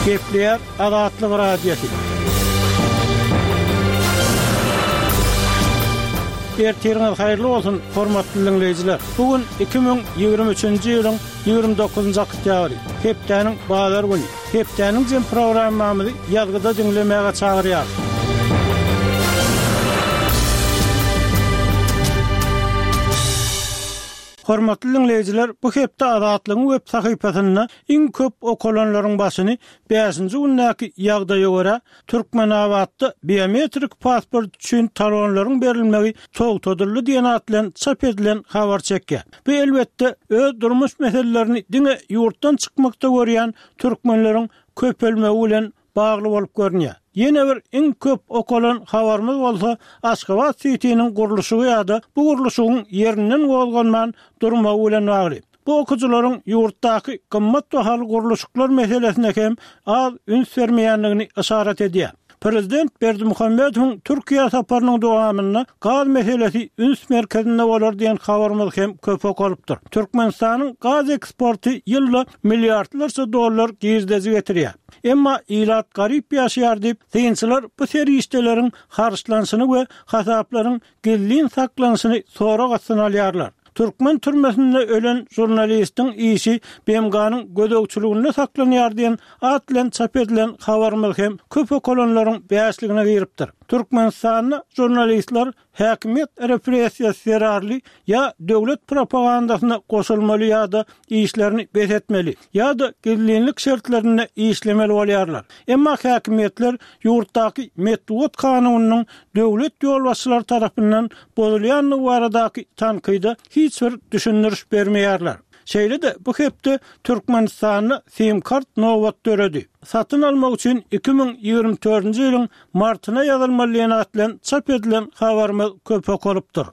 Gepleýär Azatlyk Radiosy. Ertiriňiz haýyrly bolsun, hormatly diňleýjiler! Bu gün 2023-nji ýylyň 29-njy oktýabry, hepdäniň bazar güni. Hepdäniň jem programmamyzy ýazgyda diňlemäge çagyrýarys. Hormatly diňleýjiler, bu hepde Azatlygyň web sahypasynda iň köp okalanlaryň başyny bäşinji gündäki ýagdaýa görä, Türkmenabatda biometrik pasport üçin talonlaryň berilmegi togtadyldy diýen at bilen çap edilen habar çekýär. Bu elbetde, öz durmuş meselelerini diňe ýurtdan çykmakda görýän türkmenleriň köpelmegi bilen bagly bolup görünýär. Ýene bir iň köp okalan habarymyz bolsa Aşgabat sitiniň gurluşygy ýa-da bu gurluşygyň ýerinden gozganman durmagy bilen bagly. Bu okyjylaryň ýurtdaky gymmat bahaly gurluşyklar meselesine hem az üns bermeýändigini yşarat edýär. Prezident Berdimuhamedowyň Türkiýä saparynyň dowamynda gaz meselesi üns merkezinde bolar diýen habarymyz hem köp okalypdyr. Türkmenistanyň gaz eksporty ýylda milliardlarça dollar girdeji getirýär. Emma ilat garyp ýaşaýar diýip, synçylar bu serişdeleriň harçlanyşyny we hasaplaryň gizlin saklanyşyny sorag astyna alýarlar. Türkmen türmesinde ölen žurnalistiň işi BMG-niň gözegçiliginde saklanýar diýen at bilen çap edilen habarymyz hem köp okalanlaryň bäşligine giripdir. Türkmenistanda žurnalistler Häkimiýet repressiýasy zerarly ýa döwlet propagandasyna goşulmaly ýa-da işlerini bes etmeli, ýa-da gizlinlik şertlerinde işlemeli bolýarlar. Emma häkimiýetler ýurtdaky metbugat kanunynyň döwlet ýolbaşçylary tarapyndan bozulýandygy baradaky tankyda hiç bir düşündiriş bermeýärler. Şeýle-de bu hepde Türkmenistanda sim-kart nobat döredi. Satyn almak üçin 2024-nji ýylyň martyna ýazylmaly diýen at bilen çap edilen habarymyz köp okalypdyr.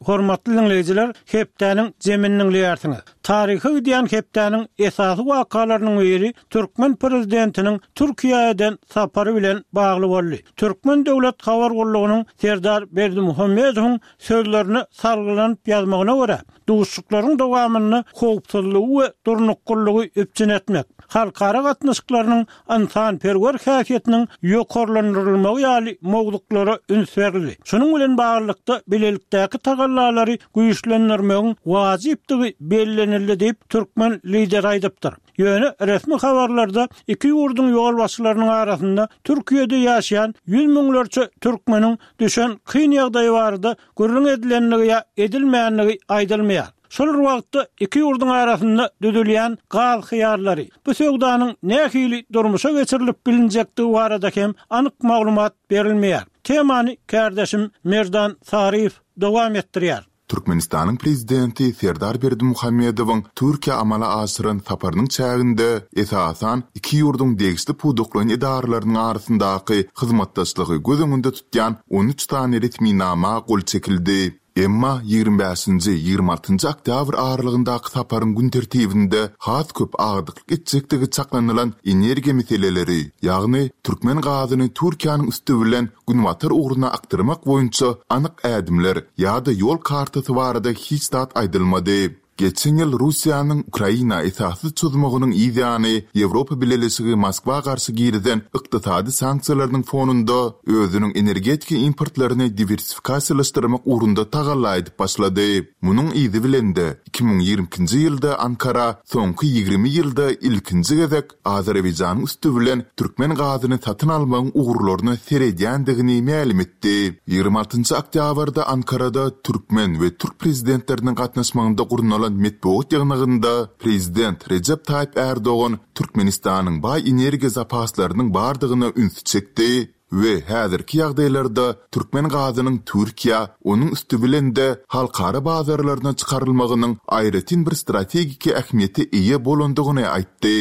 Hormatly diňleýjiler, hepdäniň jemini diňleýärsiňiz. Taryha gidýän hepdäniň esasy wakalarynyň biri türkmen prezidentiniň Türkiýä eden sapary bilen bagly boldy. Türkmen döwlet habar gullugynyň Serdar Berdimuhamedowyň sözlerine salgylanyp ýazmagyna görä, Duşuşyklaryň dowamynda howpsuzlygy we durnuklylygy üpjün etmek, halkara gatnaşyklarynyň ynsanperwer häsiýetiniň ýokarlandyrylmagy ýaly mowzuklara üns berildi. Şunuň bilen baglylykda, bilelikdäki tagallalary güýçlendirmegiň wajypdygy bellenildi diýip, türkmen Lideri aýdypdyr. Ýöne resmi habarlarda iki ýurduň ýolbaşçylarynyň arasynda Türkiýede ýaşaýan ýüz müňlerçe türkmeniň düşen kyn ýagdaýy barada gürrüň edilendigi ýa edilmändigi aýdylmaýar. Şol bir wagtda iki ýurduň arasynda düzülýän gaz hyýarlary, bu söwdanyň nähili durmuşa geçirilip bilinjekdigi barada hem anyk maglumat berilmeýär. Temany kärdeşim Merdan Saryýew dowam etdirýär. Türkmenistanyň Prezidenti Serdar Berdimuhamedowyň Türkiýä amala aşyran saparynyň çäginde, esasan, iki ýurduň degişli pudaklaýyn edaralarynyň arasyndaky hyzmatdaşlygy göz öňünde tutýan 13 sany resminama gol çekildi. Emma 25-nji, 26-njy oktýabr aralygyndaky saparyň gün tertibinde has köp agdyklyk etjekdigi çaklanylan energiýa meseleleri, ýagny türkmen gazyny Türkiýäniň üsti bilen günbatar ugruna akdyrmak boýunça anyk ädimler ýa-da ýol kartasy barada hiç zat aýdylmady. Geçen ýyl Russiýanyň Ukraina esassyz çozmagynyň yz ýany Ýewropa Bileleşigi Moskwa garşy girizen ykdysady sanksiýalarynyň fonunda özüniň energetika importlaryny diwersifikasiýalaşdyrmak ugrunda tagalla edip başlady. Munuň yzy bilen-de, 2022-nji ýylda Ankara soňky 20 ýylda ilkinji gezek Azerbaýjanyň üsti bilen türkmen gazyny satyn almagyň ugurlaryna seredýändigini mälim etdi. 26 njy oktýabrda Ankarada türkmen we türk prezidentleriniň gatnaşmagynda gurnalan metbugat ýygnagynda prezident Rejep Taýyp Ärdogan Türkmenistanyň baý energiýa zapaslarynyň bardygyna ünsi çekdi. We häzirki ýagdaýlarda türkmen gazynyň Türkiýä, onuň üsti bilen-de halkara bazarlaryna çykarylmagynyň aýratyn bir strategiki ähmiýete eýe bolandygyny aýtdy.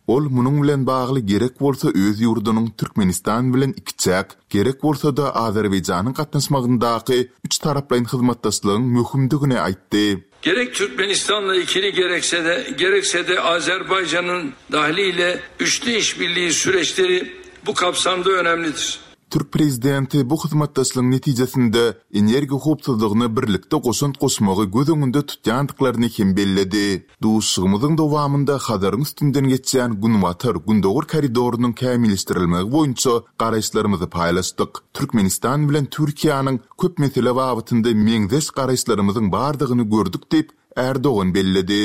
Ol munuň bilen bagly gerek bolsa öz ýurdunyň Türkmenistan bilen ikiçäk, gerek bolsa-da Azerbaýjanyň gatnaşmagyndaky üçtaraplaýyn hyzmatdaşlygyň möhümdigini aýtdy. Gerek Türkmenistanla ikili gerekse de, gerekse de Azerbaycan'ın dahliyle üçlü işbirliği süreçleri bu kapsamda önemlidir. Türk prezidenti bu hyzmatdaşlygyň netijesinde energiýa howpsuzlygyna birlikde goşant goşmagy göz öňünde tutýandyklaryny hem belledi. Duşuşygymyzyň dowamynda Hazaryň üstünden geçýän Günbatar, Gündogar koridorynyň kämilleşdirilmegi boýunça garaýyşlarymyzy paýlaşdyk. Türkmenistan bilen Türkiýäniň köp mesele babatynda meňzeş garaýyşlarymyzyň bardygyny gördük diýip, Ärdogan belledi.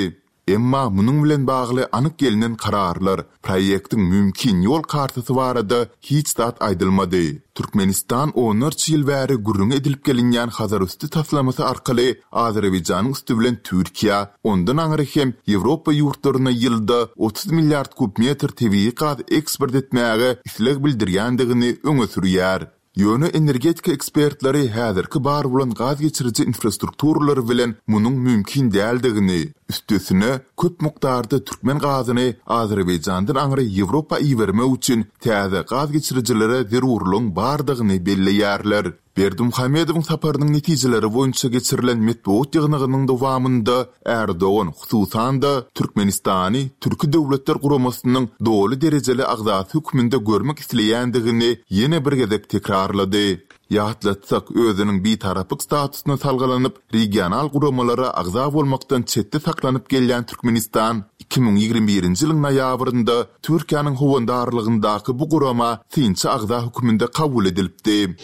Emma munuň bilen bagly anyk gelnen kararlar, proýektiň mümkin ýol kartasy barada hiç zat aýdylmady. Türkmenistan onlarça ýyl bäri gürrüňi edilip gelinýän Hazarüsti taslamasy arkaly Azerbaýjanyň üsti bilen Türkiýä, ondan aňry hem Ýewropa ýurtlaryna ýylda 30 milliard kub metr tebigy gaz eksport etmäge isleg bildirýändigini öňe sürýär. Ýöne energetika ekspertleri häzirki bar bolan gaz geçiriji infrastrukturalary bilen munuň mümkin däldigini, üstesine, köp mukdarda türkmen gazyny Azerbaýjandan aňry Ýewropa ibermek üçin täze gaz geçirijilere zerurlygyň bardygyny belleýärler. Berdimuhamedowyň saparynyň netijeleri boýunça geçirilen metbugat ýygnagynyň dowamynda Ärdogan, hususan-da, Türkmenistany Türki Döwletler Guramasynyň doly derejeli agzasy hökmünde görmek isleýändigini ýene bir gezek tekrarlady. Ýatlatsak, özüniň bitaraplyk statusyna salgylanyp, regional guramalara agza bolmakdan çetde saklanyp gelýän Türkmenistan 2021-nji ýylyň noýabrynda Türkiýäniň howandarlygyndaky bu gurama synçy agza hökmünde kabul edilipdi.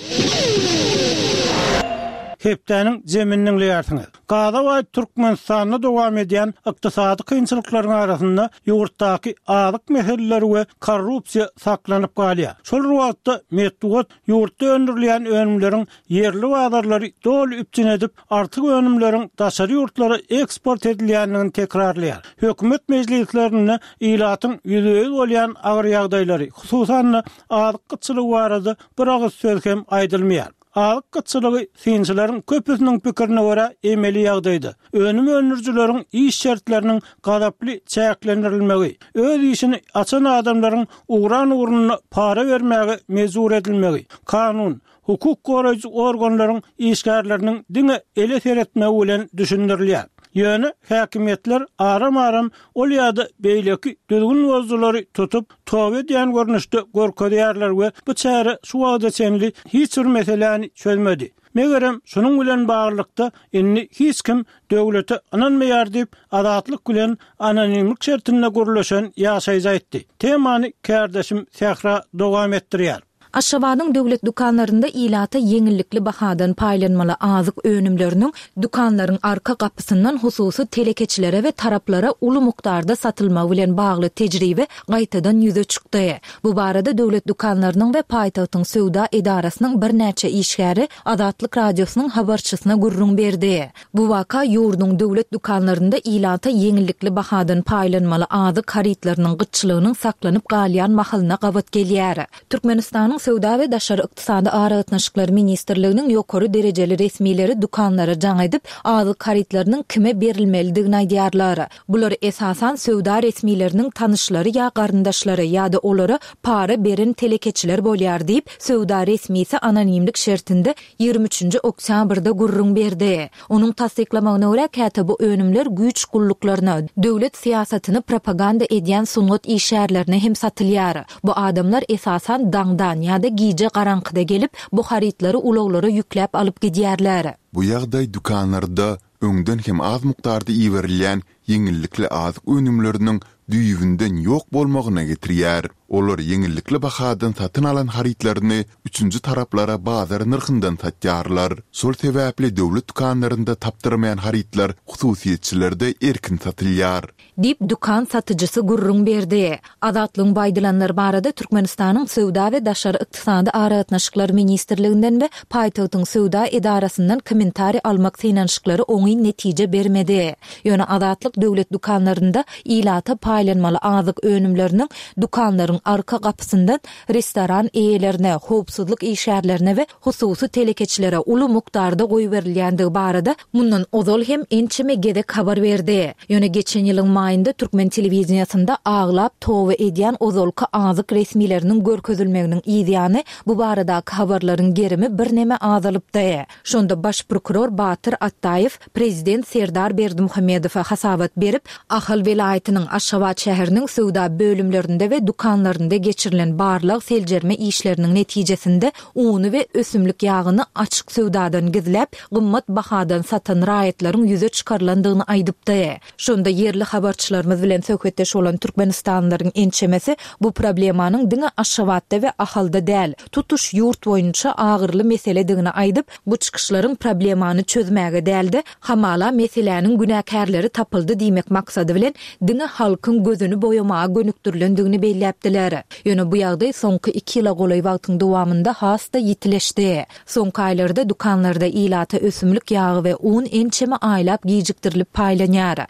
Hepdäniň jemini diňleýärsiňiz. Gaza baý Türkmenistanda dowam edýän ykdysady kynçylyklaryň arasynda ýurtdaky azyk meseleleri we korrupsiýa saklanyp galýar. Şol bir wagtda, metbugat ýurtda öndürilýän önümleriň ýerli bazarlary doly üpjün edip, artyk önümleriň daşary ýurtlara eksport edilýändigini tekrarlaýar. Hökümet mejlislerinde ilatyň ýüzbe-ýüz bolýan agyr ýagdaýlary, hususan-da, azyk gytçylygy barada bir agyz söz hem aýdylmaýar. Azyk gytçylygy synçylaryň köpüsiniň pikirine görä emeli ýagdaýda, önüm öndürijileriň iş şertleriniň gazaply çäklendirilmegi, öz işini açan adamlaryň ugran ugrunda para bermäge mejbur edilmegi, kanun, hukuk goraýjy organlaryň işgärleriniň diňe ele seretmegi bilen düşündirilýär. Ýöne häkimiýetler aram-aram ol ýa-da beýleki düzgün bozujylary tutup, toba edýän görnüşde görkezýärler we bu çäre şu wagta çenli hiç bir meseläni çözmedi. Megerem, şunuň bilen baglylykda, indi hiç kim döwlete ynanmaýar diýip, Azatlyk bilen anonimlik şertinde gürleşen ýaşaýjy aýtdy. Temany kärdeşim Sähra dowam etdirýär. Aşgabadyň döwlet dükanlarynda ilata ýeňillikli bahadan paýlanmaly azyk önümleriniň dükanlaryň arka gapysyndan hususy telekeçilere we taraplara uly mukdarda satylmagy bilen bagly tejribe gaýtadan ýüze çykdy. Bu barada döwlet dükanlarynyň we paýtagtyň söwda edarasynyň birnäçe işgäri Azatlyk Radiosynyň habarçysyna gürrüň berdi. Bu waka ýurduň döwlet dükanlarynda ilata ýeňillikli bahadan paýlanmaly azyk harytlarynyň gytçylygynyň saklanyp galýan mahalyna gabat gelýär. Türkmenistanyň Söwda we daşary ykdysady aragatnaşyklar ministrliginiň ýokary derejeli resmileri dükanlara jaň edip, azyk harytlarynyň kime berilmelidigini aýdýarlar. Bular esasan söwda resmileriniň tanyşlary ýa garyndaşlary ýa-da olara para beren telekeçiler bolýar diýip, söwda resmisi anonimlik şertinde 23-nji oktýabrda gürrüň berdi. Onuň tassyklamagyna görä, käte bu önümler güýç gulluklaryna, döwlet syýasatyny propaganda edýän sungat işgärlerine hem satylýar. Bu adamlar esasan daňdan ýa-da gije garaňkyda gelip, bu harytlary ulaglara ýükläp alyp gidýärler. Bu ýagdaý dükanlarda öňden hem az mukdarda iberilýän ýeňillikli azyk önümleriniň düýbünden ýok bolmagyna getirýär. Olar ýeňillikli bahadan satyn alan harytlaryny üçünji taraplara bazar nyrhyndan satýarlar. Şol sebäpli döwlet dükanlarynda tapdyrmaýan harytlar hususyýetçilerde erkin satylýar. Diýip, dükan satyjysy gürrüň berdi. Azatlygyň bu aýdylanlar barada Türkmenistanyň Söwda we daşary ykdysady aragatnaşyklar ministrliginden we paýtagtyň söwda edarasyndan kommentariý almak synanyşyklary oňyn netije bermedi. Ýöne Azatlyk döwlet dükanlarynda ilata paýlanmaly azyk önümleriniň dükanlaryň arka gapysyndan restoran eýelerine, howpsuzlyk işgärlerine we hususy telekeçilere uly mukdarda goýberilýändigi barada mundan ozal hem ençeme gezek habar berdi. Ýöne geçen ýylyň maýynda türkmen telewideniýesinde aglap toba edýän ozalky azyk resmileriniň görkezilmeginiň yzýany bu baradaky habarlaryň gerimi birneme azalypdy. Şonda baş prokuror Batyr Atdaýew prezident Serdar Berdimuhamedowa hasabat berip, Ahal welaýatynyň Aşgabat şäheriniň söwda bölümlerinde we dükanlarynda. dükanlarynda geçirilen barlag-seljerme işleriniň netijesinde uny we ösümlik ýagyny açyk söwdadan gizläp, gymmat bahadan satan raýatlaryň ýüze çykarylandygyny aýdypdy. Şonda ýerli habarçylarymyz bilen söhbetdeş bolan türkmenistanlylaryň ençemesi bu problemanyň diňe Aşgabatda we Ahalda däl, tutuş ýurt boýunça agyryly meseledigini aýdyp, bu çykyşlaryň problemany çözmäge däl-de, hamala meseläniň günäkärleri tapyldy diýmek maksady bilen diňe halkyň gözüni boýamaga gönükdirilendigini belläpdiler. Ýöne bu ýagdaý soňky iki ýyla golaý wagtyň dowamynda has-da ýitileşdi. Soňky aýlarda dükanlarda ilata ösümlik ýagy we un ençeme aýlap gijikdirilip paýlanýar.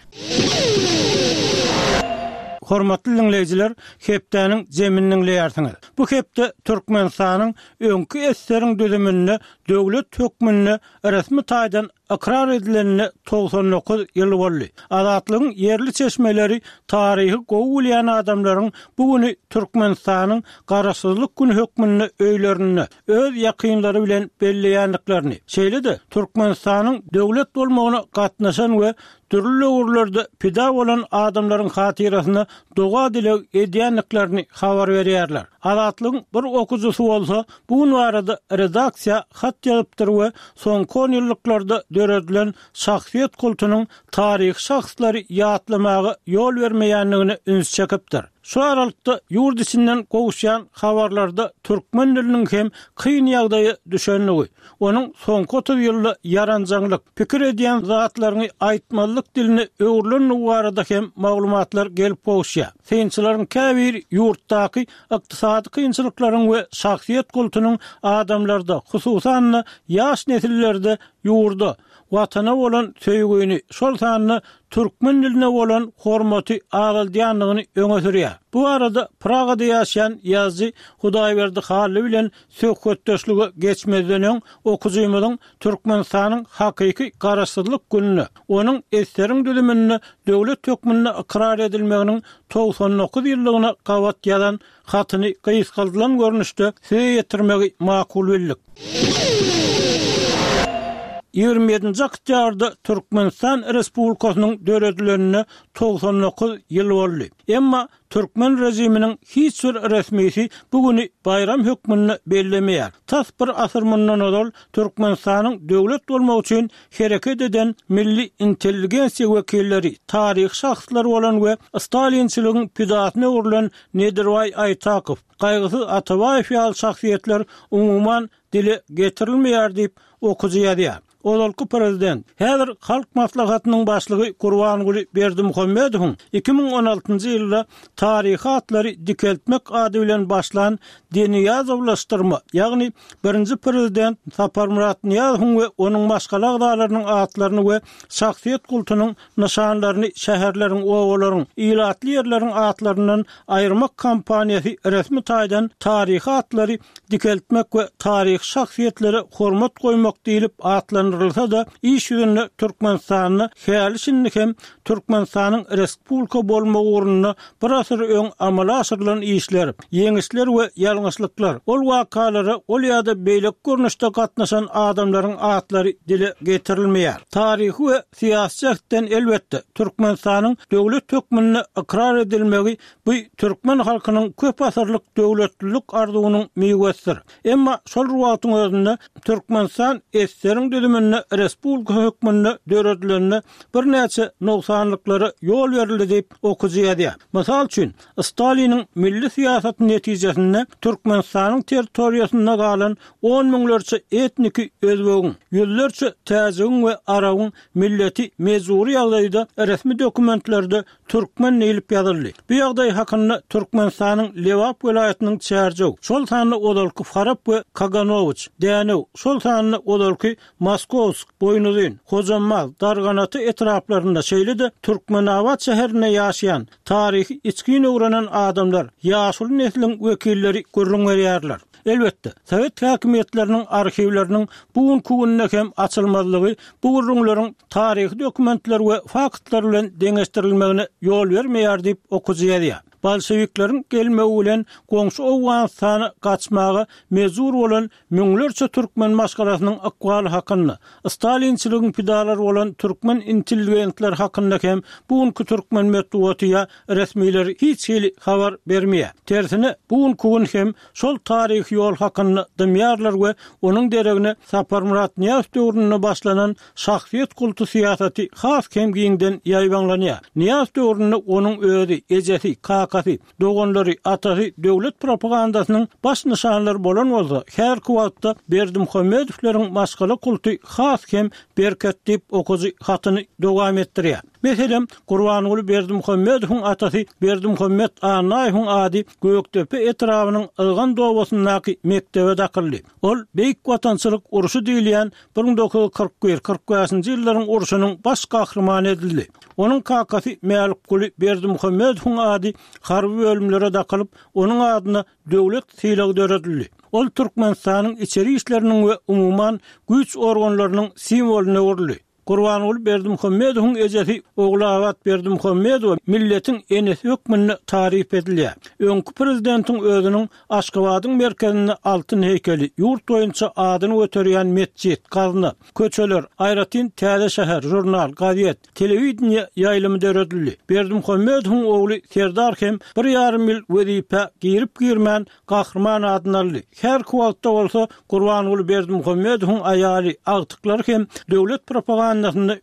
Hormatly diňleýjiler, hepdäniň jemini diňleýärsiňiz. Bu hepde Türkmenistanyň öňki SSR-iň düzüminde döwlet hökmünde resmi taýdan ykrar edilenine 99 ýyl boldy. Azatlygyň ýerli çeşmeleri taryhy gowy bilýän adamlaryň bu güni Türkmenistanyň Garaşsyzlyk güni hökmünde öýlerinde, öz ýakynlary bilen belleýändiklerini, şeýle-de Türkmenistanyň döwlet bolmagyna gatnaşan we dürli döwürlerde pida bolan adamlaryň hatyrasyna doga-dileg edýändiklerini habar berýärler. Azatlygyň bir okyjysy bolsa bu gün barada redaksiýa hat ýazypdyr we soňky onýyllyklarda döredilen şahsyýet kultunyň taryhy şahslary ýatlamaga ýol bermeýändigine üns çekipdir. Şu aralykda ýurt içinden gowuşýan habarlarda türkmen diliniň hem kyn ýagdaýa düşendigi, onuň soňky 30 ýylda ýaranjaňlyk, pikir edýän zatlaryňy aýtmazlyk diline öwrülendigi barada hem maglumatlar gelip gowuşýar. Synçylaryň käbiri ýurtdaky ykdysady kynçylyklaryň we şahsyýet kultunyň adamlarda, hususan-da, ýaş nesillerde ýurda, Watana bolan söýgüni, şol sanda türkmen diline bolan hormaty azaldýandygyny öňe sürýär. Bu barada Pragada ýaşaýan ýazyjy Hudaýberdi Hally bilen söhbetdeşlige geçmezden öň okyjymyzyň Türkmenistanyň hakyky Garaşsyzlyk gününe, onuň SSR-iň düzüminde döwlet hökmünde ykrar edilmeginiň 99 ýyllygyna gabat ýazan Hatyny gysgaldylan görnüşde size ýetirmegi makul bildik. 27-nji oktýabrda Türkmenistan Respublikasynyň döredilenine 99 ýyl boldy. Emma türkmen režiminiň hiç bir resmisi bu güni baýram hökmünde bellemeýär. Tas bir asyr mundan ozal Türkmenistanyň döwlet bolmagy üçin hereket eden milli intelligensiýa wekilleri, taryhy şahslar bolan we stalinçiligiň pidasyna öwrülen Nedirbaý Aýtakow, Gaýgysyz Atabaýew ýaly şahsyýetler umuman dile getirilmeýär diýip, okyjy ýazýar. Ozalky prezident, häzir Halk Maslahatynyň başlygy Gurbanguly Berdimuhamedowyň 2016-njy ýylda Taryhy atlary dikeltmek ady bilen başlan Denyýazowlaşdyrma, ýagny birinji prezident Saparmyrat Nyýazowyň we onuň maşgala agzalarynyň atlaryny we şahsyýet kultunyň nyşanlaryny şäherleriň, obalaryň, ilatly ýerleriň atlaryndan aýyrmak kampaniýasy resmi taýdan taryhy atlary dikeltmek we taryhy şahsyýetlere hormat goýmak diýlip atlandyrylsa-da, iş ýüzünde Türkmenistanda häli-şindi hem Türkmenistanyň respublika bolmagy ugrunda bir asyr öň amala aşyrylan işler, ýeňişler we ýalňyşlyklar, ol wakalara ol ýa-da beýleki görnüşde gatnaşan adamlaryň atlary dile getirilmeýär. Taryhy we syýasy jähtden, elbetde, Türkmenistanyň döwlet hökmünde ykrar edilmegi bu türkmen halkynyň köp asyrlyk döwletlilik arzuwynyň miwesidir. Emma şol bir wagtyň özünde Türkmenistan SSR-iň düzüminde respublika hökmünde döredilenine birnäçe nogsanlyklara ýol berildi diýip, okyjy ýazýar. Mysal üçin, Staliniň milli syýasaty netijesinde Türkmenistanyň territoriýasynda galan on müňlerçe etniki özbegiň, ýüzlerçe täjigiň we arabyň milleti mejbury ýagdaýda resmi dokumentlerde Türkmen diýlip ýazyldy. Bu ýagdaý hakynda Türkmenistanyň Lebap welaýatynyň Çärjew, şol sanda ozalky Farap we Kaganowiç, Dänew, şol sanda ozalky Moskowsk, Boýnuzyn, Hojambaz, Darganata etraplarynda, şeýle-de Türkmenabat şäherinde ýaşaýan, taryhy içgin öwrenen adamlar, ýaşuly nesliň wekilleri gürrüň berýärler. Elbetde, sowet häkimiýetleriniň arhiwleriniň bu günki günde hem açylmazlygy bu gürrüňleriň taryhy dokumentler we faktlar bilen deňeşdirilmegine ýol bermeýär diýip, okyjy ýazýar. Bolşewikleriň gelmegi bilen goňşy Owganystana gaçmaga mejbur bolan müňlerçe türkmen maşgalasynyň ykbaly hakynda, stalinçiligiň pidalary bolan türkmen intelligentleri hakynda hem bu günki türkmen metbugaty ýa resmileri hiç hili habar bermeýär. Tersine, bu günki gün hem şol taryhy ýol hakynda dymýarlar we onuň deregine Saparmyrat Nyýazow döwründe başlanan şahsyýet kulty syýasaty has hem giňden ýaýbaňlanýar. Nyýazow döwründe onuň özi, ejesi, kakasy, doganlary, atasy döwlet propagandasynyň baş nyşanlary bolan bolsa, häzirki wagtda Berdimuhamedowlaryň maşgala kulty has hem berkedi diýip, okyjy hatyny dowam etdirýär. Meselem, Gurbanguly Berdimuhamedowyň atasy Berdimuhamet Annaýewiň ady Gökdepe etrabynyň Ylgan obasyndaky mekdebe dakyldy. Ol Beýik Watançylyk urşy diýilýän 1941, 45-nji ýyllaryň urşunyň baş gahrymany edildi. Onuň kakasy Mälikguly Berdimuhamedowyň ady harby bölümlere dakylyp, onuň adyna döwlet sylagy döredildi. Ol Türkmenistanyň içeri işleriniň we umuman, güýç organlarynyň simwolyna öwrüldi. Gurbanguly Berdimuhamedowyň ejesi Ogulabat Berdimuhamedowa milletiň enesi hökmünde taryp edilýär. Öňki prezidentiň özüniň Aşgabadyň merkezinde altyn heýkeli, ýurt boýunça adyny göterýän metjit, gazna, köçeler, aýratyn täze şäher, žurnal, gazet, telewideniýe ýaýlymy döredildi. Berdimuhamedowyň ogly Serdar hem bir ýarym ýyl wezipä girip-girmän Gahryman adyny aldy. Häzirki wagtda bolsa Gurbanguly Berdimuhamedowyň aýaly, agtyklary hem döwlet propagandasynda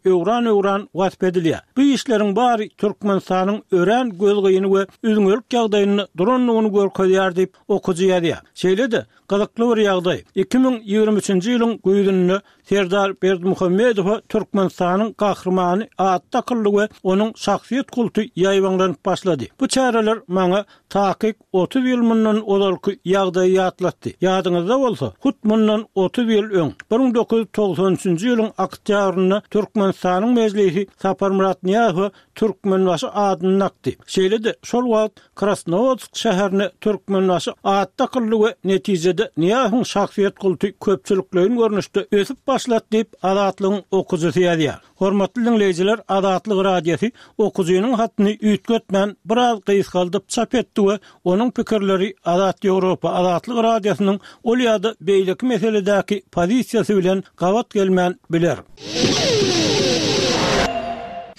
öwran-öwran wasp edilýär. Bu işleriň bary Türkmenistanyň örän gözgyny we üzňelik ýagdaýynda durandygyny görkezýär diýip, okyjy ýazýar. Şeýle-de, gyzykly bir ýagdaý, 2023-nji ýylyň güýzünde Serdar Berdimuhamedowa Türkmenistanyň Gahrymany ady dakyldy we onuň şahsyýet kulty ýaýbaňlanyp başlady. Bu çäreler maňa takyk 30 ýyl mundan ozalky ýagdaýy ýatlatdy. Ýadyňyzda bolsa, hut mundan 30 ýyl öň, 1993-nji ýylyň oktýabrynda Türkmenistanyň Mejlisi Saparmyrat Nyýazowa Türkmenbaşy adyny dakdy. Şeýle-de, şol wagt Krasnowodsk şäherine Türkmenbaşy ady dakyldy we netijede Nyýazowyň şahsyýet kulty köpçülikleýin görnüşde ösüp başlady diýip, Azatlygyň okyjysy ýazýar. Hormatly diňleýjiler, Azatlyk Radiosy okyjynyň hatyny üýtgetmän, biraz gysgaldyp çap etdi we onuň pikirleri Azat Ýewropa, Azatlyk Radiosynyň ol ýa-da beýleki meseledäki pozisiýasy bilen gabat gelmän biler.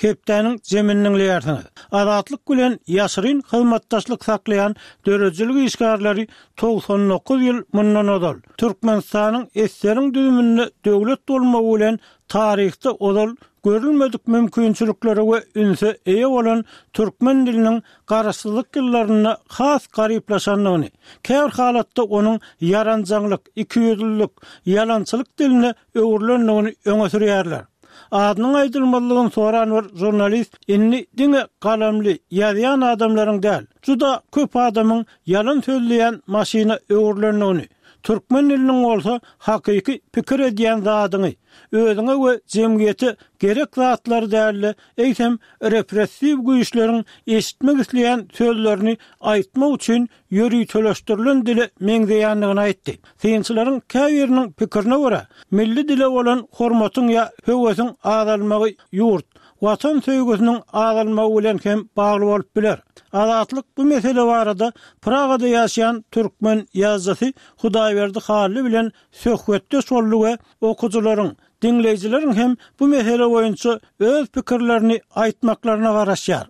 Hepdäniň jemini diňleýärsiňiz. Azatlyk bilen ýaşyryn hyzmatdaşlyk saklaýan döredijilik işgärleri 99 ýyl mundan ozal, Türkmenistanyň SSR-iň düzüminde döwlet bolmagy bilen taryhda ozal görülmedik mümkinçiliklere we ünse eýe bolan türkmen diliniň garaşsyzlyk ýyllarynda has garyplaşandygyny, käbir halatda onuň ýaranjaňlyk, ikiýüzlülik, ýalançylyk diline öwrülendigini öňe sürýärler. Adynyň aýdylmazlygyny soran bir žurnalist indi diňe galamly, ýazýan adamlaryň däl, juda köp adamyň ýalan sözleýän maşyna öwrülendigini, türkmen diliniň bolsa hakyky pikir edýän zadyňy, özüňe we jemgyýete gerek zatlary däl-de, eýsem repressiw güýçleriň eşitmek isleýän sözlerini aýtmak üçin ýöriteleşdirilen dile meňzeýändigini aýtdy. Synçylaryň käbiriniň pikirine görä, milli dile bolan hormatyň ýa höwesiň azalmagy ýurt, Watan söýgüsiniň azalmagy bilen hem bagly bolup biler. Azatlyk bu mesele barada Pragada ýaşaýan türkmen ýazyjysy Hudaýberdi Hally bilen söhbetdeş boldy we okyjylaryň, Diňleýjileriň hem bu mesele boýunça öz pikirlerini aýtmaklaryna garaşýar.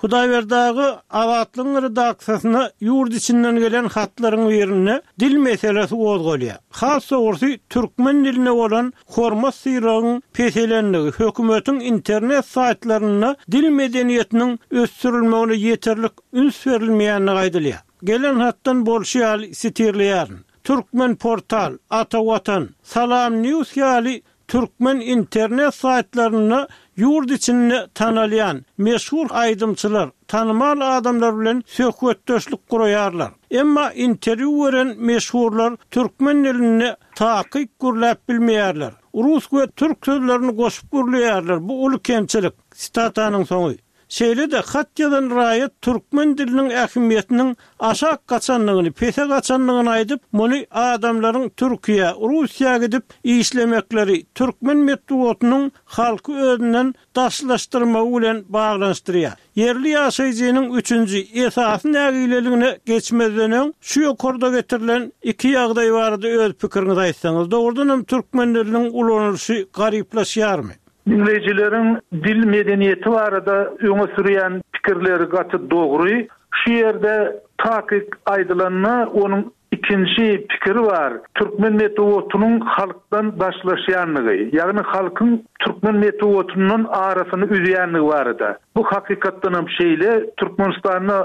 Hudaýberdi aga Azatlygyň redaksiýasyna ýurt içinden gelen hatlaryň birinde dil meselesi gozgalýar. Has dogrusy, türkmen diline bolan hormat-sylagyň peselendigi, hökümetiň internet saýtlarynda dil medeniýetiniň ösdürilmegine ýeterlik üns berilmeýändigi aýdylýar. Gelen hatdan bolşy ýaly sitirleýärin. Türkmenportal, Ata Watan, Salam News ýaly türkmen internet saýtlarynda ýurt içinde tanalýan, meşhur aýdymçylar, tanymal adamlar bilen söhbetdeşlik guraýarlar. Emma interwýu beren meşhurlar türkmen dilinde takyk gürläp bilmeýärler. Rus we türk sözlerini goşup gürleýärler, bu uly kemçilik. Sitatanyň soňy. Şeýle-de, hat ýazan raýat türkmen diliniň ähmiýetiniň aşak gaçandygyny, pese gaçandygyny aýdyp, muny adamlaryň Türkiýä, Russiýa gidip işlemekleri, türkmen metbugatynyň halky özünden daşlaşdyrmagy bilen baglanyşdyrýar. Ýerli ýaşaýjynyň üçünji, esasy nägileligine geçmezden öň, şu ýokarda getirilen iki ýagdaý barada öz pikiriňizi aýtsaňyz, dogrudanam türkmen diliniň ulanylyşy garyplaşýarmy? Diňleýjileriň dil medeniýeti barada öňe sürýän pikirleri gaty dogry. Şu ýerde takyk aýdylanda, onuň Ikinji pikiri bar, türkmen metbugatynyň halkdan daşlaşýandygy, ýagny halkyň türkmen metbugatyndan arasyny üzýändigi barada. Bu hakykatdanam şeýle, Türkmenistanda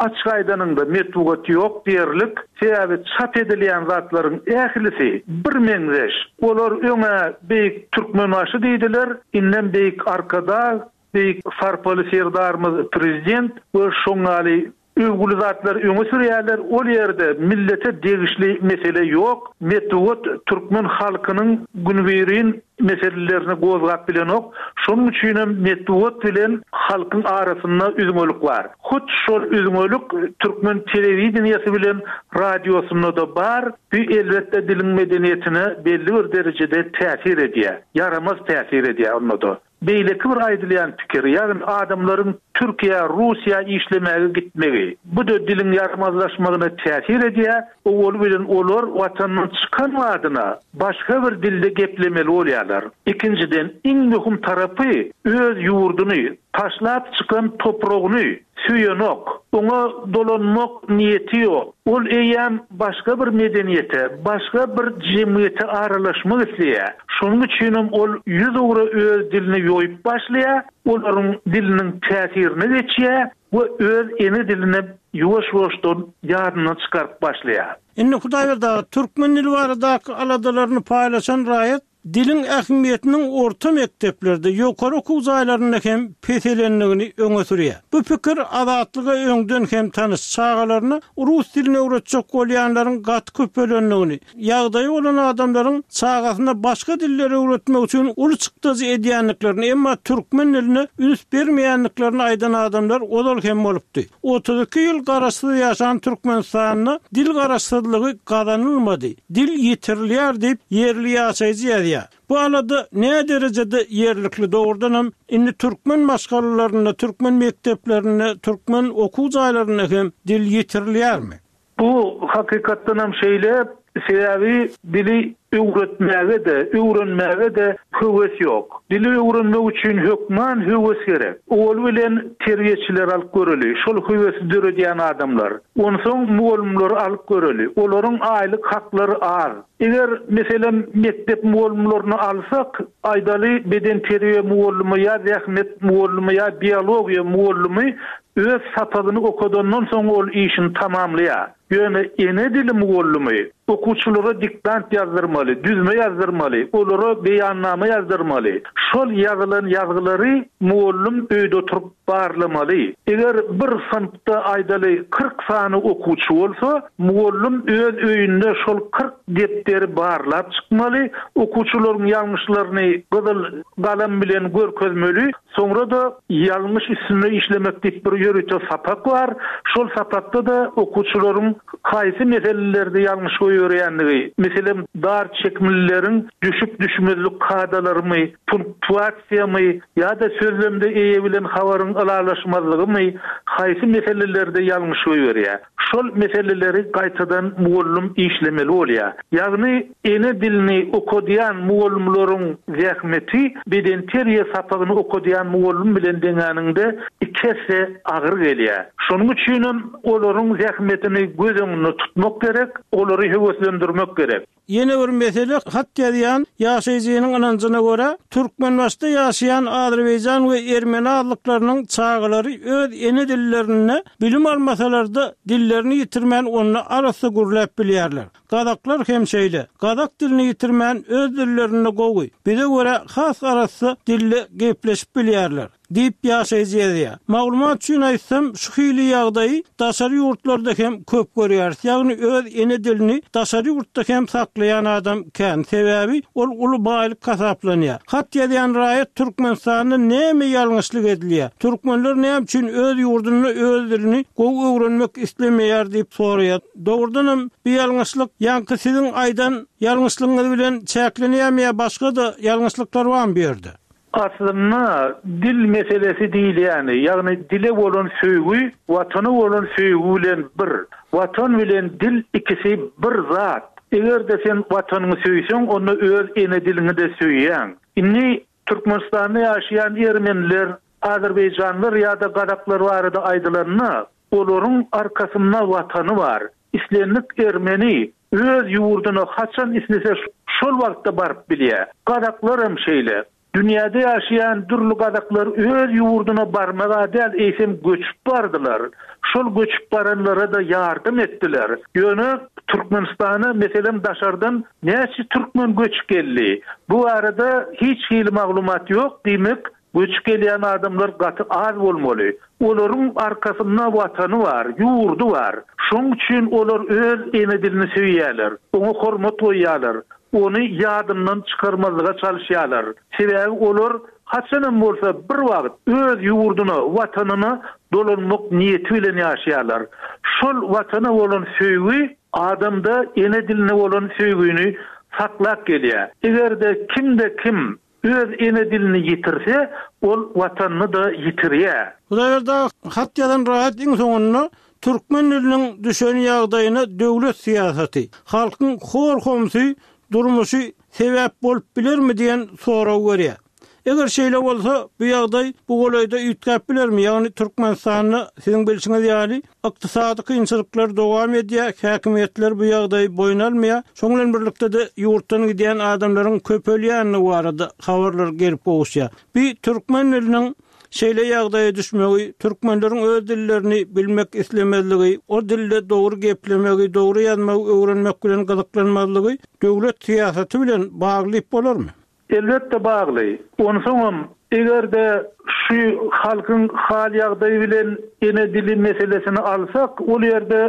açyk aýdanyňda metbugat ýok diýerlik, sebäbi çap edilýän zatlaryň ählisi birmeňzeş. Olar öň-ä Beýik Türkmenbaşy diýdiler, indem Beýik Arkadag, Beýik sarpaly Serdarymyz Prezident we şoň ýaly Öwgüli zatlary öňe sürýärler, ol ýerde millete degişli mesele ýok, metbugat türkmen halkynyň günübirin meselelerini gozgap bilenok, şonuň üçinem metbugat bilen halkyň arasynda üzňelik bar. Hut şol üzňelik türkmen telewideniýesi bilen radiosynda-da bar, bu elbetde diliň medeniýetine belli bir derejede täsir edýär, ýaramaz täsir edýär onda-da. Beýleki bir aýdylýan pikir, ýagny adamlaryň Türkiýä, Russiýa işlemäge gitmegi. Bu-da diliň ýaramazlaşmagyna täsir edýär, owaly bilen olar watandan çykan badyna başga bir dilde geplemeli bolýarlar. Ikinjiden, iň möhüm tarapy, öz ýurduny, taşlap çykan topragyny söýenok, oňa dolanmak niýeti ýok. Ol eýýäm başga bir medeniýete, başga bir jemgyýete aralaşmak isleýär. Şonuň üçinem ol ýüzugra öz dilini ýoýup başlaýar, olaryň diliniň täsirine geçýär we öz ene dilini ýuwaş-ýuwaşdan ýadyndan çykaryp başlaýar. Indi Hudaýberdi aga, türkmen dili baradaky aladalaryny paýlaşan raýat Diliň ähmiýetiniň orta mekdeplerde, ýokary okuw jaýlarynda hem peselendigini öňe sürýär. Bu pikir Azatlyga öňden hem tanyş, çagalaryna rus dilini öwretjek bolýanlaryň gaty köpelendigini, ýagdaýy bolan adamlaryň çagasyna başga dilleri öwretmek üçin uly çykdajy edýändiklerini, emma türkmen diline üns bermeýändiklerini aýdan adamlar ozal hem bolupdy. 32 ýyl garaşsyz ýaşan Türkmenistanda dil garaşsyzlygy gazanylmady. Dil ýitirilýär diýip, ýerli ýaşaýjy ýazýar. Bu alada näderejede ýerlikli, dogrudanam, indi türkmen maşgalalarynda, türkmen mekdeplerinde, türkmen okuw jaýlarynda hem dil ýitirilýärmi? Bu hakykatdanam şeýle, sebäbi dili öwretmäge-de, öwrenmäge-de höwes ýok. Dili öwrenmek üçin hökman höwes gerek. Owaly bilen terbiýeçileri alyp göreli, şol höwesi döredýän adamlar. Onsoň mugallymlary alyp göreli. Olaryň aýlyk haklary az. Eger, meselem, mekdep mugallymlaryny alsak, aýdaly, bedenterbiýe mugallymy ýa zähmet mugallymy ýa biologiýa mugallymy öz sapagyny okadandan soň ol işini tamamlaýar. Ýöne ene dili mugallymy okuwçylara diktant ýazdyrmaly, düzme ýazdyrmaly, olara beýannama ýazdyrmaly. Şol ýazylan ýazgylary mugallym öýde oturyp barlamaly. Eger bir synpda, aýdaly, 40 sany okuwçy bolsa, mugallym öz öýünde şol 40 depderi barlap çykmaly, okuwçylaryň ýalňyşlaryny gyzyl galam bilen görkezmeli, soňra-da ýalňyş üstünde işlemek diýip bir ýörite sapak bar, şol sapakda-da okuwçylaryň haýsy meselelerde ýalňyş goýberýändigi, meselem, dar çekimlileriň düşüp-düşmezlik kadalarymy, punktuasiýamy ýa-da sözlemde eýe bilen habaryň ylalaşmazlygymy, haýsy meselelerde ýalňyş goýberýär. Şol meseleleri gaýtadan mugallym işlemeli bolýar. Ýagny ene dilini okadýan mugallymlaryň zähmeti bedenterbiýe sapagyny okadýan mugallym bilen deňäniňde iki esse agyr gelýär. Şonuň üçinem olaryň zähmetini göz öňünde tutmak gerek, olary höweslendirmek gerek. Ýene bir mesele, hat ýazýan ýaşaýjynyň ynanjyna görä, Türkmenbaşyda ýaşaýan azerbaýjan we ermeni azlyklarynyň çagalary öz ene dillerinde bilim almasalar-da, dillerini ýitirmän onda arassa gürläp bilýärler. Gazaklar hem şeýle. Gazak dilini ýitirmän öz dillerinde gowy, bize görä has arassa dilde gepleşip bilýärler. Diýip, ýaşaýjy ýazýar. Maglumat üçin aýtsam, şu hili ýagdaýy daşary ýurtlarda hem köp görýäris, ýagny öz ene dilini daşary ýurtda hem saklaýan adam kän, sebäbi ol uly baýlyk hasaplanýar. Hat ýazýan raýat Türkmenistanda näme ýalňyşlyk edilýär, türkmenler näme üçin öz ýurdunda öz dilini gowy öwrenmek islemeýär diýip soraýar. Dogrudanam bu ýalňyşlyk ýaňky siziň aýdan ýalňyşlygyňyz bilen çäklenýärmi ýa başga-da ýalňyşlyklar barmy bu ýerde? Aslynda dil meselesi diýilýäni, ýagny dile bolan söýgi Watana bolan söýgi bilen bir. Watan bilen dil ikisi bir zat. Eger-de sen Watanyňy söýseň, onda öz ene diliňi-de söýýäň. Indi Türkmenistanda ýaşaýan ermeniler, azerbaýjanlar ýa-da gazaklar barada aýdylanda, olaryň arkasynda Watany bar. Islendik ermeni öz ýurduna haçan islese şol wagtda baryp bilýär. Gazaklar hem şeýle. Dünýäde ýaşaýan dürli gazaklar öz ýurduna barmag-a däl, eýsem göçüp bardylar. Şol göçüp baranlara-da ýardam etdiler. Ýöne Türkmenistana, meselem, daşardan näçe türkmen göçüp geldi? Bu barada hiç hili maglumat ýok, diýmek, Göçüp gelýän adamlar gaty az bolmaly. Olaryň arkasynda Watany bar, ýurdy bar. Şoň üçin olar öz ene dilini söýýärler, oňa hormat goýýarlar, ony ýadyndan çykarmazlyga çalyşýarlar. Sebäbi olar haçanam bolsa bir wagt öz ýurduna, Watanyna dolanmak niýeti bilen ýaşaýarlar. Şol Watana bolan söýgi adamda ene diline bolan söýgini saklap gelýär. Eger-de kimde-kim Öz ene dilini ýitirse, ol Watanyny-da ýitirýär. Hudaýberdi aga, hat ýazan raýat iň soňunda türkmen diliniň düşen ýagdaýyna döwlet syýasaty, halkyň hor-homsy durmuşy sebäp bolup bilermi diýen soragy berýär. Eger şeýle bolsa, bu ýagdaý bu golaýda üýtgäp bilermi, ýagny Türkmenistanda siziň bilşiňiz ýaly, Ykdysady kynçylyklar dowam edýär, häkimiýetler bu ýagdaýy boýun almaýar. Şonuň bilen birlikde-de ýurtdan gidýän adamlaryň köpelýändigi barada habarlar gelip gowuşýar. Bu türkmen diliniň şeýle ýagdaýa düşmegi, türkmenleriň öz dillerini bilmek islemezligi, o dilde dogry geplemegi, dogry ýazmagy öwrenmek bilen gyzyklanmazlygy döwlet syýasaty bilen bagly diýip bolarmy? Elbetde bagly. Onsoňam, eger-de şu halkyň hal-ýagdaýy bilen ene dili meselesini alsak, ol ýerde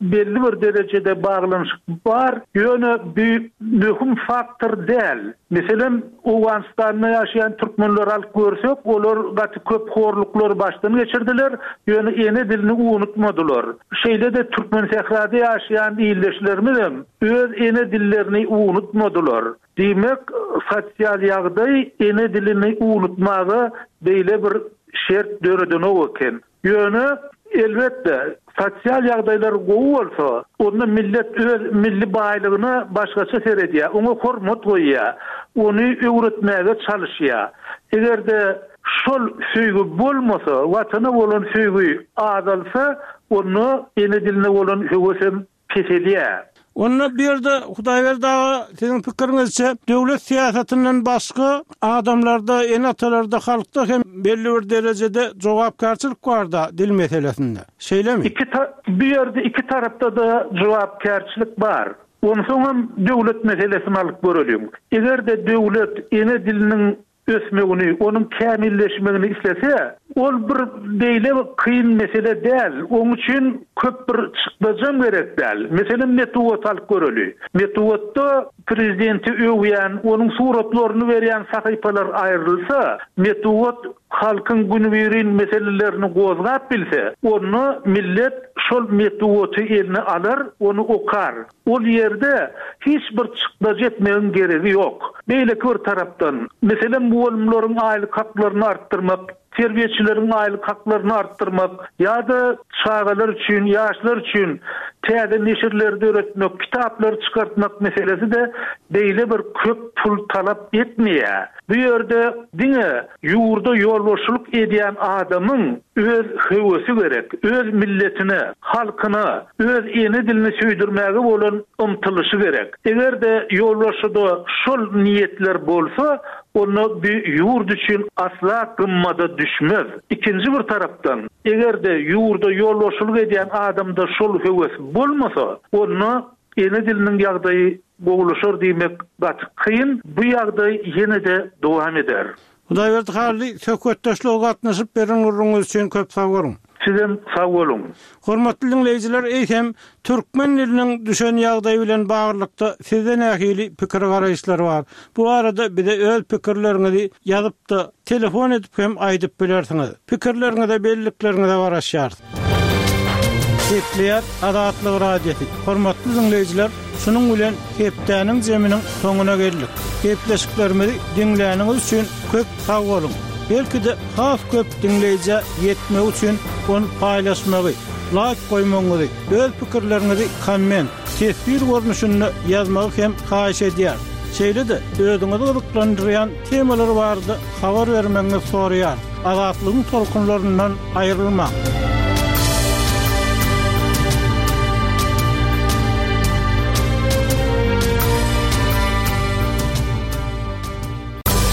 belli bir derejede baglanyşyk bar, ýöne bu möhüm faktor däl. Meselem, Owganystanda ýaşaýan türkmenleri alyp görsek, olar gaty köp horluklary başdan geçirdiler, ýöne ene dilini unutmadylar. Şeýle-de Türkmensährada ýaşaýan ildeşlerimizem öz ene dillerini unutmadylar. Diýmek, sosial ýagdaý ene dilini unutmaga beýle bir şert döredenok eken. Ýöne, elbetde, sosial ýagdaýlar gowy bolsa, onda millet öz milli baýlygyna başgaça seredýär, oňa hormat goýýar, ony öwretmäge çalyşýar. Eger-de şol söýgi bolmasa, Watana bolan söýgi azalsa, onda ene diline bolan höwesem peselýär. Onda bu ýerde Hudaýberdi aga siziň pikiriňizçe döwlet syýasatyndan başga adamlarda, ene-atalarda, halkda hem belli bir derejede jogapkärçilik barda dil meselesinde. Şeýlemi? Iki bu ýerde iki tarapda-da jogapkärçilik bar. Onsoňam döwlet meselesini alyp göreliň. Eger-de döwlet ene diliniň ösmegini, onuň kämilleşmegini islese, ol bir beýle kyn mesele däl, oň üçin köp bir çykdajam gerek däl. Meselem, metbugaty alyp göreli. Metbugatda prezidenti öwýän, onuň suratlaryny berýän sahypalar aýrylsa, metbugat halkyň günübirin meselelerini gozgap bilse, onda millet şol metbugaty eline alar, ony okar. Ol ýerde hiç bir çykdajy etmegiň geregi ýok. Beýleki bir tarapdan, meselem, mugallymlaryň aýlyk haklaryny artdyrmak, terbiýeçileriň aýlyk haklaryny artdyrmak ýa-da çagalar üçin, ýaşlar üçin täze neşirleri döretmek, kitaplary çykartmak meselesi-de beýle bir köp pul talap etmeýär. Bu ýerde diňe ýurda ýolbaşçylyk edýän adamyň öz höwesi gerek, öz milletine, halkyna, öz ene dilini söýdürmäge bolan ymtylyşy gerek. Eger-de ýolbaşçyda şol niýetler bolsa, onda bu ýurt üçin asla gymmada düşmez. Ikinji bir tarapdan, eger-de ýurda ýolbaşçylyk edýän adamda şol höwes bolmasa, onda Ene diliniň ýagdaýy gowulaşar diýmek gaty kyn, bu ýagdaý ýene-de dowam eder. Hudaýberdi Hally, söhbetdeşlige gatnaşyp beren gürrüňiňiz üçin köp sag boluň. Sizem sag boluň. Hormatly diňleýjiler, eýsem, türkmen diliniň düşen ýagdaýy bilen baglylykda sizde nähili pikir-garaýyşlar bar? Bu barada bize öz pikirleriňizi ýazyp-da, telefon edip hem aýdyp bilersiňiz. Pikirleriňize, bellikleriňize garaşýarys. Gepleýär Azatlyk Radiosy. Hormatly diňleýjiler, şunuň bilen hepdäniň jeminiň soňuna geldik. Gepleşiklerimizi diňläniňiz üçin köp sag boluň! Belki-de has köp diňleýjä ýetmegi üçin ony paýlaşmagy, laýk goýmagyňyzy, öz pikirleriňizi komment, teswir görnüşinde ýazmagy hem haýyş edýäris. Şeýle-de özüňizi gyzyklandyrýan temalar barada habar bermegiňizi soraýarys. Azatlygyň tolkunlaryndan aýrylmaň!